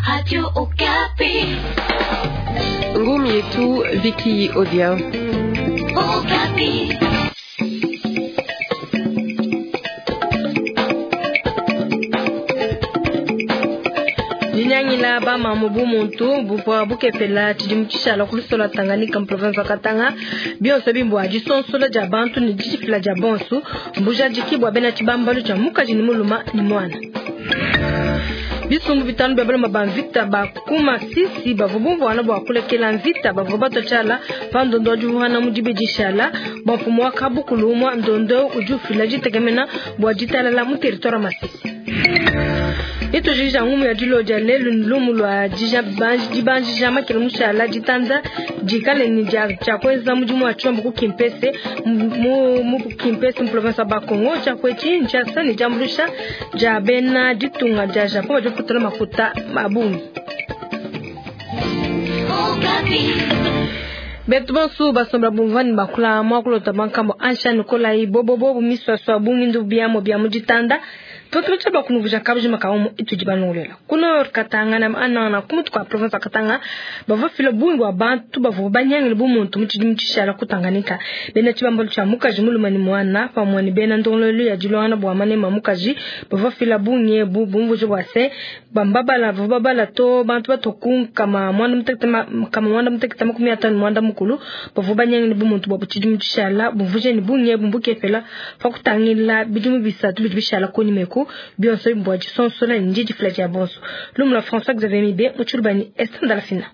Radio Okapi. Ngumi yetu Vicky Odia. Okapi. Dinyangila bamamu bu muntu buvua bukepela tshidimu tshishala ku lusola Tanganyika mu province wa Katanga. Bionso bimbua disonsola dia bantu ne didifila dia bonso mbujadiki bua bena tshibambalu tshia mukaji ne muluma ne muana. Bisumbu bitanu bia baluma ba mvita ba ku Masisi bavua bumvuana bua kulekela mvita bavua batua tshiala pa ndondo wa divuana mu dibi dishala bua mfumu wa kabukulu umua. Ndondo udi ufila ditekemena bua ditalala mu territoire wa Masisi. Itujija ngumu ya dilo dia lelu ni lumu lwa dibanjija makele mushala ditanda dikale ni dia tshia kuenza mudimu wa tshombo ku Kimpese mu Kimpese mu province ya Bakongo. Tshia kuetshi ntshiasa ne diambuluisha dia bena ditunga dia Japon badi bafutula makuta mabungi. Betu bonso basomba bumvani bakula mwakulota bankambo ansha Nikolai bobobo miswaswa bungindu biamo bia mu ditanda tutu bakunuvuja kabujima kaomo itudi banongolela kuno Katanga na anana kumutu kwa province ya Katanga bavua fila bungi bua bantu bavua banyangile bumuntu mu tshidimu tshishala ku Tanganyika. Bena tshibambalu tshia mukaji mulume ne muana pamue ne bena ndongoluelu ya dilongana bua manema mukaji bavua fila bungi ebu bumvuja bua se bambabala bavua babala to bantu batoku kama mwanda mutekete 54 mwanda mukulu bavua banyangile bumuntu bua tshidimu tshishala bumvuje ne bungi ebu mbukepela pa kutangila bidimu bisatu bidi bishala kunyima bionso bua disonsola ne didifila dia bonso. Lumu lua François Xavier Mibe mu Tshilubani Esther Ndalafina.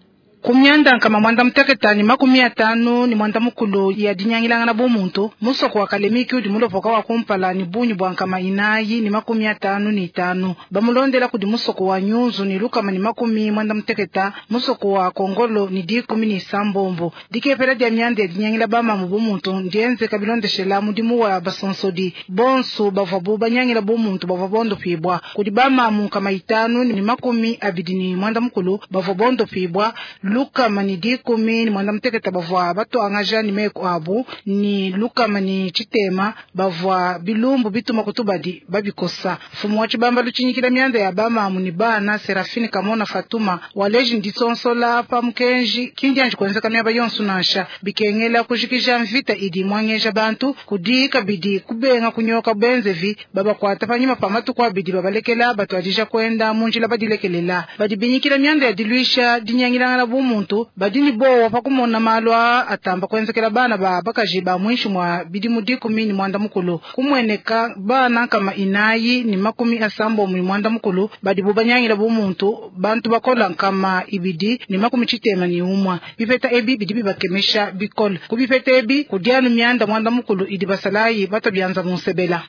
Kumyanda nkama mwanda muteketa ni 54 ni mwanda mukulu ya dinyangilangana bumuntu musoko wa Kalemiki udi mulopoka wa kumpala ni bunyi bwa nkama inayi ni 55 bamulondela kudi musoko wa Nyunzu ni lukama ni 90 musoko wa Kongolo ni 17. Dikepela dia myanda ya dinyangila bamamu bumuntu ndienze kabilondeshela mudimu wa basonsodi bonso bavua bu banyangila bumuntu bavua bondopibwa kudi bamamu nkama 5 ni 29 bavua bondopibwa lukama ni 18 bavua batuangaja ni meko abu ni lukama ni chitema bavua bilumbu bituma kutubadi babikosa. Mfumu wa tshibambalu tshinyikila myanda ya bamamu ni bana Serafini Kamona Fatuma waleji nditsonsola pa mukenji kindianji kuenzeka myaba yonso nansha bikengela kujikija mvita idi mwangeja bantu kudi kabidi kubenga kunyoka benzevi babakwata panyima pa matuku abidi babalekela batuadija kwenda munjila badilekelela badibinyikila myanda ya dilwisha dinyangilangana bumuntu badini bowa pakumona malwa atamba kwenzekela bana ba bakaji ba mwishi mwa bidimu 19 kumweneka bana kama 4 ni 79 badi bubanyangila bumuntu bantu bakola nkama 2 ni 91 bipeta ebi bidi bibakemesha bikole kubipeta ebi kudianu myanda mwanda mukulu idi basalayi batabyanza munsebela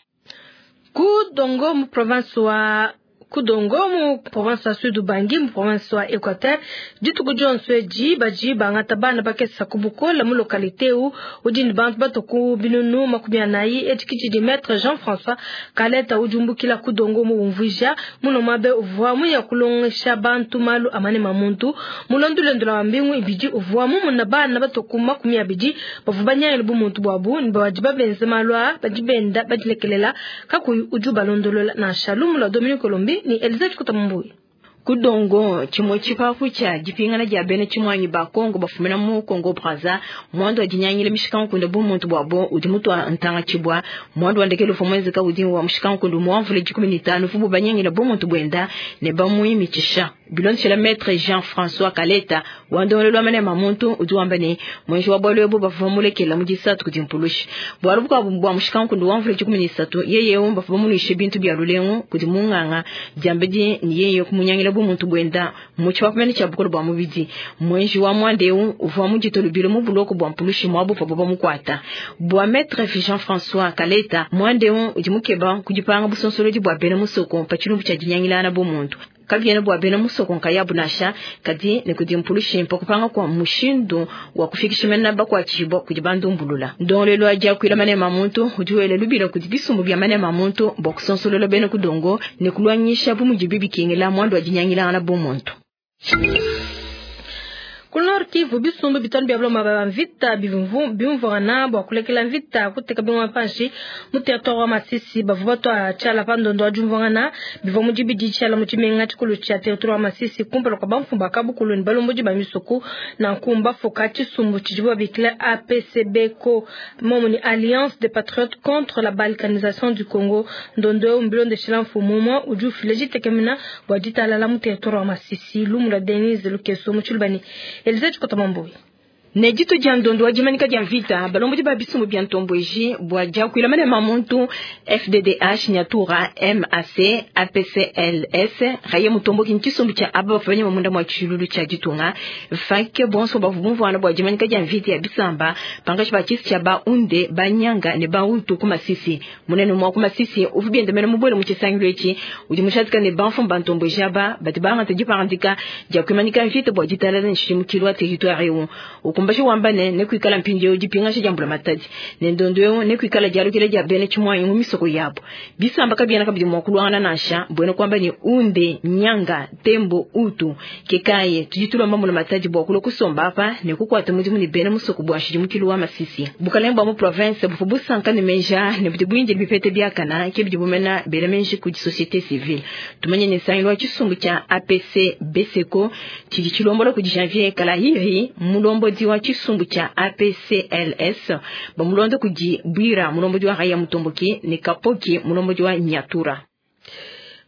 ku Dongo mu province wa Kudongo mu province ya Sud Ubangi mu province wa Equateur dituku dionso edi badi bangata bana bakesa ku bukola mu localité u udi ne bantu batoku binunu 40. Edi kidi maître Jean-François Kaleta ujumbukila Kudongo mu umvuija muno mabe uvua muya kulongesha bantu malu amane mamuntu mulondulendo wa mbingu ibidi uvua mumuna bana batoku 20 bavua banyangile bumuntu bwabu ne badi babenze malu a badi benda badilekelela kakuyi udi ubalondolola nansha. Lumu lua Dominique Olombi ni Elizabeth Kutambuyi. Kudongo chimwe chipafu cha dipingana dia bena chimwanyi ba Kongo bafumina mu Kongo Brazza mwando wa dinyangile mishikankundu bumuntu bwabo udi mutwa ntanga chibwa mwando wa ndekelo fomwezeka udi wa mushikankundu mwamvule 15 fubu banyangile bumuntu bwenda ne bamuimichisha bilondeshela maître Jean-François Kaleta wandolelwa mane mamuntu udi wamba ne mwenji wa bwalwebo bavumulekela mu disatu kudi mpulushi bwalubuka bwa mushikankundu wamvule 13 yeye womba bamunishe bintu bya lulengu kudi munganga diambedi ni yeye kumunyangila bumuntu bwenda muchi wapamene cha bukolo bwa mubidi mwenji wa mwandeu uvwa mujito lubilo mu buloko bwa mpulushi mwabu pa baba mukwata bwa maître Jean-François Kaleta mwandeu udi mukeba kudipanga busonsolodi bwa bena musoko pa chilumbu cha dinyangilana bumuntu kabiena bwa bena musoko nkayabu nasha kadi ne kudi mpulushi mpokupanga kwa mushindu wa kufikisha mena bakwachibwa kudi bandumbulula ndolelo aja kwila mane mamuntu udiwele lubilo kudi bisumbu bya mane mamuntu bokusonsololo bena kudongo ne kulwanyisha bumujibi bikingila mwando wa dinyangilana bumuntu. Ku Nord Kivu, bisumbu bitanu bia balomba ba mvita bimvuangana bua kulekela mvita kuteka bingoma panshi mu territoire wa Masisi. Bavua batua tshiala pa ndondo wa diumvuangana bivua mu dibidi tshiala mu tshimenga tshikulu tshia territoire wa Masisi kumpala kua bamfumu ba kabukulu ne balombodi ba misoko. Nanku mbafuka tshisumbu tshidibo babikila APCBCO, momu ni Alliance des Patriotes contre la balkanisation du Congo. Ndondo eu mbilondeshela mfumu umue udi ufila ditekemena bua ditalala mu territoire wa Masisi. Lumu lua Denise Lukeso mu Tshilubani. Elize Tshikota Mamboyi. Ne ditu dia ndondo wa dimanika dia mvita balombodi ba bisumbu bia ntombweji bua diakuila manema muntu FDDH Nyatura MAC APCLS raye mutomboki ntshisumbu tshia aba bafanya munda mwa tshilulu tshia ditunga fake bonso bavumvuana bua dimanika dia mvita ya bisamba pangashi ba tshisi tshia ba unde banyanga ne ba utu ku Masisi. Munene mwa ku Masisi uvu biendemena mubwele mu tshisangilu etshi udi mushatika ne banfu ba ntombweji aba badi bangata diparandika dia kuimanika mvita bua ditalala ne tshidimukilu wa territoire eu ukumbashi wamba ne nekuikala mpindieu dipingasha dia mbula matadi ne ndondo eu nekuikala dialukila dia bena tshimwanyi mu misoko yabo. Bisamba kabiena kabidi mua kuluangana nansha mbwena kuamba ne unde nyanga tembo utu kekaye tudi tulomba mbula matadi bua kulua kusomba apa ne kukuata mudimu ne bena musoko bua nshidimukilu wa Masisi. Bukalenge bua mu province buvua busanka ne menja ne budi buindile bipete biakana ke bidi bumena bela menji kudi société civile. Tumanye ne nsangilu wa tshisumbu tshia APC BCCO tshidi tshilombola kudi Janvier Kalahiri mulombodi wa tshisumbu tshia APCLS bamulondo kudi Bwira mulombodi wa Raya Mutomboki ne Kapoki mulombodi wa Nyatura.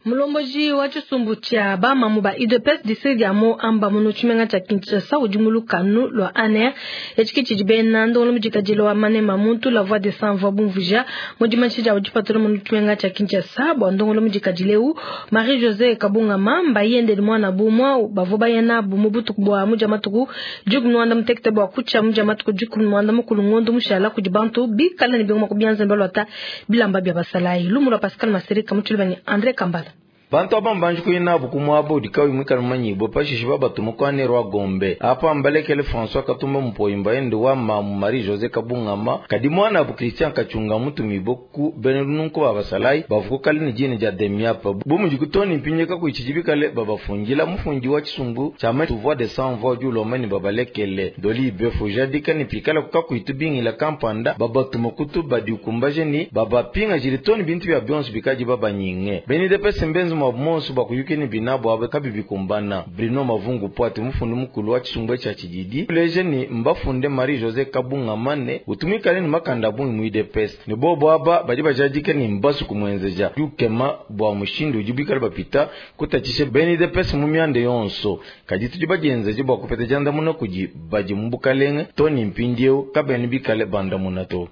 Mulomboji wa tshisumbu tshia bamamu ba UDPS district ya Mo Amba muno tshimenga tshia Kinshasa udi mu lukanu lua ANR etshiki tshidi bena ndongolo mudikadile wa manema muntu la voix des sans voix bumvuja mu dimanche dia dipatula muno tshimenga tshia Kinshasa bua ndongolo mudikadile eu Marie José Kabunga Mamba yende mwana bumwa bavua bayana bu mu butuku bua muja matuku 11 mutekete bua kutsha muja matuku 11 mukulu ngondo mushala kudi bantu bikala ne bingoma kubianza mbalwata bilamba bya basalayi. Lumu lwa Pascal Masereka mutshilubani André Kambala. Bantu aba mbanji kuyina bukumwabo udikawi mwikala manyibo pashishe babatuma kwa rwa Gombe apa mbalekele François Katumba Mpoyimba ende wa mamu Marie José Kabungama kadi mwana abu Christian Kachunga mutumibo ku benelununko babasalai bavuko kali ni jini ja demiapa bumuji kutoni mpinyeka kuichijibikale babafungila mufungi wa chisumbu chama tu voix de sans voix du lomani babalekele doli befu jadika ni pikala kukakuitubingila kampanda babatuma kutu badiukumbaje ni babapinga jilitoni bintu bya bionso bikaji babanyinge benide pese mbenzi mwabumonso bakuyukeni binabo abe kabibikumbana Bruno Mavungu Poate mufundi mukulu wa chisumbu cha chididi leje ni mbafunde Marie José Kabunga mane utumikale ni makanda bungi mu UDPS ni bobo aba badi bajadike ni mbasu kumwenzeja yukema bwa mushindi ujibikale bapita kutachishe beni UDPS mu myande yonso kadi tudi bajenzeje bwa kupeta janda muno kuji baji mbukalenge toni mpindieu kabeni bikale banda munato.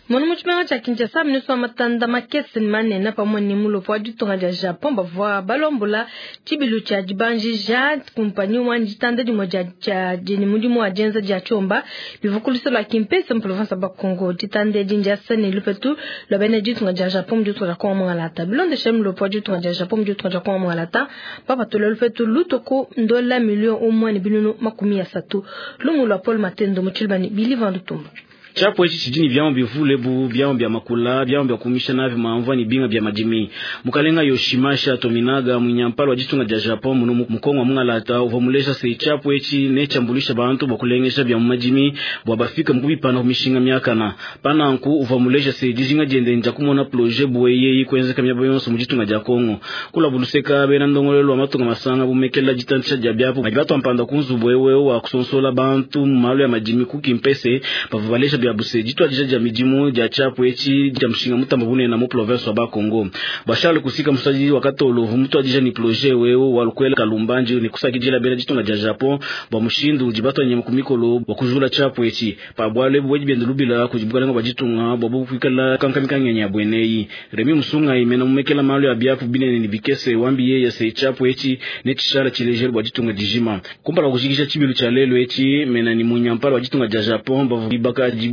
Mwana muchimanga cha Kinshasa ministre wa matanda makese manene pamwe ni mulopo wa ditunga dia Japon bavua balombola tshibilu tshia dibanjija kumpanyi wa ditanda dimue dia dini mudimu wa dienza dia tshiomba bivukuluso lua Kimpese mu province ya Bakongo. Ditanda edi ndiasa ne lupetu lua bena ditunga dia Japon mu ditunga dia Kongo Mongala. Bilondeshe mulopo wa ditunga dia Japon mu ditunga dia Kongo Mongala bapatula lupetu lutoku ndola million umwe ne binunu 30. Lumu lua Paul Matendo mu Tshilubani Bili Vandutumba. Chapo echi chijini vyama bivule bu vyama bya makula vyama bya kumisha navi maamva ni binga bya madimi mukalenga Yoshimasha Tominaga munyampalo wa ditunga dia Japon muno mukongo mungalata uvamulesha se chapo echi ne chambulisha bantu bakulengesha bya madimi bwa bafika mukubipana kumishinga myakana pananku uvamulesha se dijinga diende nja kumona projet bueye ikwenzeka myabo yonso mu ditunga dia Kongo kula buluseka bena ndongolelo wa matunga masanga bumekela ditantisha dia byapo batu ampanda kunzu wewe wa kusonsola bantu malo ya madimi kukimpese pavubalesha bya buse ditwa dija dia midimu dia chapo echi dia mushinga mutamba bunene mu province wa Bakongo bashale kusika musaji wakati olovu mutu adija ni projet wewe walukwela kalumbanji ni kusakijila bela ditunga dia Japon ba mushindu ujibatwa nyema kumikolo wakujula chapo echi pa bwale bweji bende lubila kujibuka lengo bajitunga bobo kuikala kankamikanya bweneyi Remi Musunga imena mumekela malo ya biapu binene ni bikese wambi ya se chapo echi ne chishala chilejelo bajitunga dijima kumpala kushikisha chibilu cha lelo echi mena ni munyampalo wajitunga dia Japon bavu baka jibwa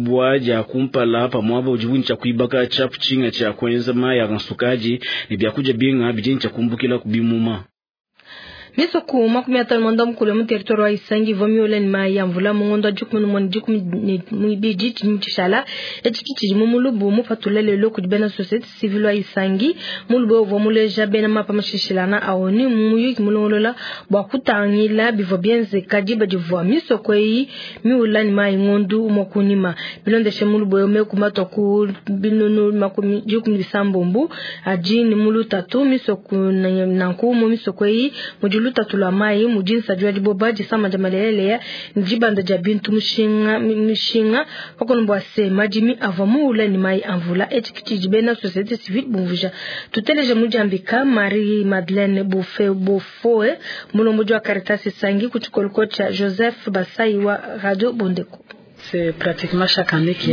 kumpala pamwabo ujibuni cha kuibaka chapu chinga cha kwenza maya kansukaji ni byakuja binga bijini cha kumbukila kubimuma. Misoko 54 mu territoire wa Isangi ivua miule ne mayi a mvula mu ngondo wa 11 ne 12 tshidimu tshishala. Etshi ki tshidi mu mulubu mupatula lelo kudi bena societe civile wa Isangi. Mulubu eu uvua muleja bena mapa mashishilana a ONU mu muyuki mulongolola bua kutangila bivua bienzeka diba divua misoko eyi miula ne mayi ngondu umue kunyima. Bilondeshe mulubu eu, meku matua ku binunu 16 adi ne mu lutatu misoko nanku mu misoko eyi mudi lutatu lua mayi, mudi nsadi wa diboba, disama dia maleleleya ne dibanda dia bintu mushinga mishinga pakono bua se madimi avua muula ne mayi a mvula. Etshi ki tshidi bena societe civile bumvuija. Tuteleje mudiambika Marie Madeleine Bofe Bofoe, mulombodi wa Caritas Isangi ku tshikoloko tshia Joseph Basai wa Radio Bondeko.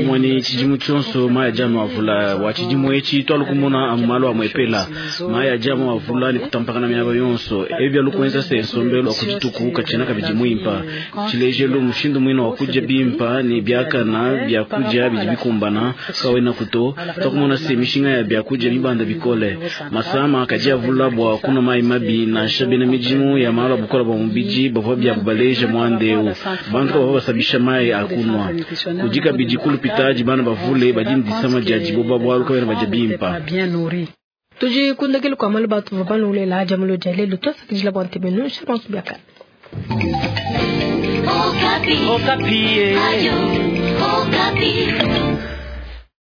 Mwani tshidimu tshionso mayi adi anu avula wa tshidimu etshi twalu kumona amu malu amue epela mayi adi anu avula ne kutampakana miaba yonso ebi bia lukuenza se nsombelu wa kudituku katshiena kabidi muimpa. Tshilejelu mushindu muina wa kudia bimpa ne biakana biakudia bidi bikumbana kawena kuto twakumona se mishinga ya biakudia mibanda bikole masama kadi avula bua kunwa mayi mabi nansha bena midimu ya malu a bukola bua mubidi bavua biabu baleja muanda eu bantu kabavua basabisha mayi a kunwa. Kudi kabidi kulupitadi bana bavule badi ne disama dia diboba bualu kabena badia bimpa. Tudi kundekelu kua malu batu bavua banulela adia mulo dia lelu tuasakidila bua ntebenu shabansu biakana. Okapi. Okapi. Radio Okapi.